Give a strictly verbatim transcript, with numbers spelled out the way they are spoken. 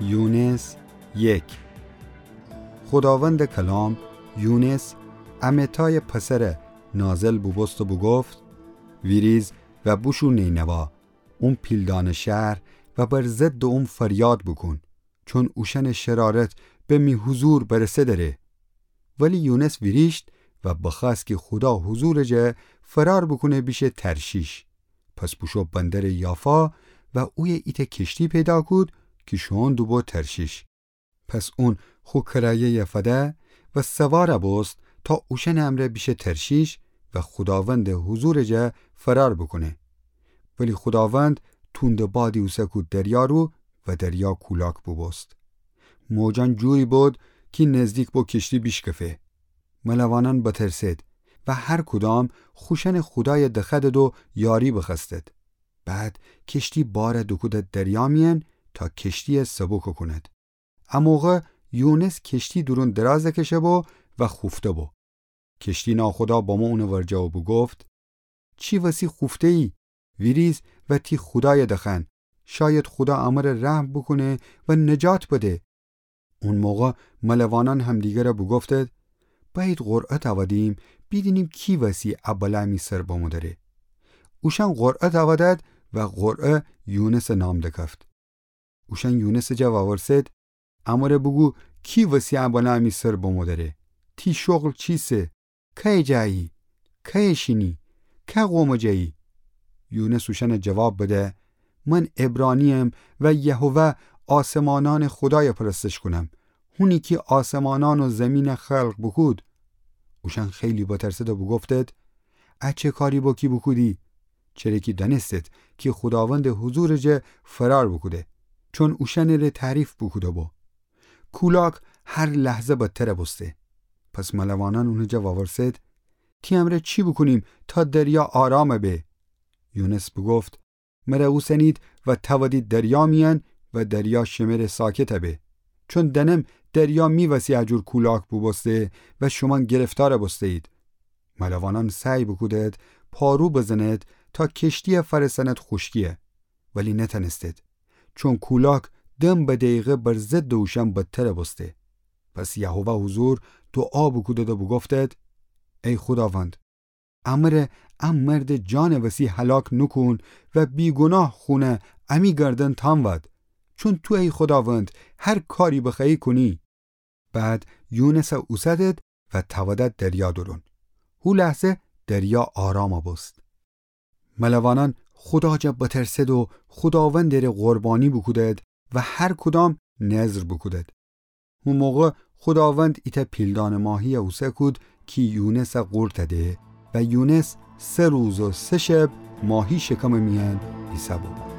یونس یک. خوداوندٚ کلام یونس امتایٚ پسرَ نازل بوبوست و بوگفت: ویریز و بوشو نینوا، اون پیلدانٚ شهر، و بر ضدٚ اون فریاد بوکون، چون اوشأنٚ شرارت به می حضور برسه دره. ولی یونس ویریشت و بخوأست کی خودا حضورٚ جا فرار بوکونه بیشه ترشیش. پس بوشو بندرٚ یافا و اویه ایتأ کشتی پیدا کود کی شوئون دوبو ترشیش. پس اون خو کرایه‌یَ فده و سوارَ بوست تا اوشأنٚ امرأ بیشه ترشیش و خوداوندٚ حضورٚ جا فرار بوکونه. ولی خوداوند توندٚ بادی اوسه کود دریا رو و دریا کولاک بوبوست. موجأن جوری بود کی نزدیک بو کشتی بیشکفه. ملوانأن بترسد و هر کدام خوشأنٚ خودایَ دخوأدد و یاری بخوأستد. بعد کشتی بارَ دوکودد دریا میأن تا کشتیَ سبوک کونید. ا موقع یونس کشتی دورون دراز کشه بو و خوفته بو. کشتی ناخدا بمو اونٚ ورجه و بوگفت: چی وسی خوفته‌یی؟ ویریز و تی خودایَ دخوأن، شاید خودا امرأ رحم بوکونه و نجات بده. اون موقع ملوانأن همدیگرَ بوگفتد: بأیید قرعه تأودیم، بیدینیم کی وسی ا بلا می سر بمو دره. اوشأن قرعه تأودد و قرعه یونسٚ نام دکفت. اوشأن یونسٚ جا وورسد: امرأ بوگو، کی وسی ا بلا می سر بمو دره؟ تی شغل چیسه؟ کیه جایی؟ کیه شینی؟ که قومٚ جایی؟ یونس اوشأنَ جواب بده: من عبرانی‌یم و یهوه آسمانأنٚ خودایَ پرستش کونم، هونی کی آسمانأن و زیمینَ خلق بوکود. اوشأن خیلی بترسد و بوگفتد: ا چه کاری بو کی بوکودی؟ چره کی دأنستد کی خوداوندٚ حضورٚ جا فرار بوکوده، چون اوشأنٚ ره تعریف بوکوده بو. کولاک هر لحظه بدتر بوسته. پس ملوانأن اونٚ جا وورسد: تی امرأ چی بوکونیم تا دریا آرام به؟ یونس بوگفت: مرأ اوسنید و تأودید دریا میأن و دریا شمره ساکت به، چون دأنم دریا می وسی ا جور کولاک بوبوسته و شومأن گرفتار بوسته‌یید. ملوانأن سعی بوکودد پارو بزند تا کشتیَ فأرسأند خوشکی‌یَ، ولی نتأنستد، چون کولاک دم به دیقه بر ضدٚ اوشأن بدتر بوسته. پس یهوه حضور دوعا بوکودد و بوگفتد: ای خوداوند، امرأ ا مردٚ جانٚ وسی هلاک نوکون و بیگوناه خونَ امی گردن تأنود، چون تو ای خوداوند هر کاری بخوأیی کونی. بعد یونسَ اوسدد و تأودد دریا دورون. هو لحظه دریا آرام بوست. ملوانأن خودا جا بترسد و خوداوندٚ ره قربانی بوکودد و هر کدام نذر بوکودد. هو موقع خوداوند ایتأ پیلدانٚ ماهی‌یَ اوسه کود کی یونسَ قورتَ ده و یونس سه روز و سه شب ماهی شکمٚ میأن ایسه بو.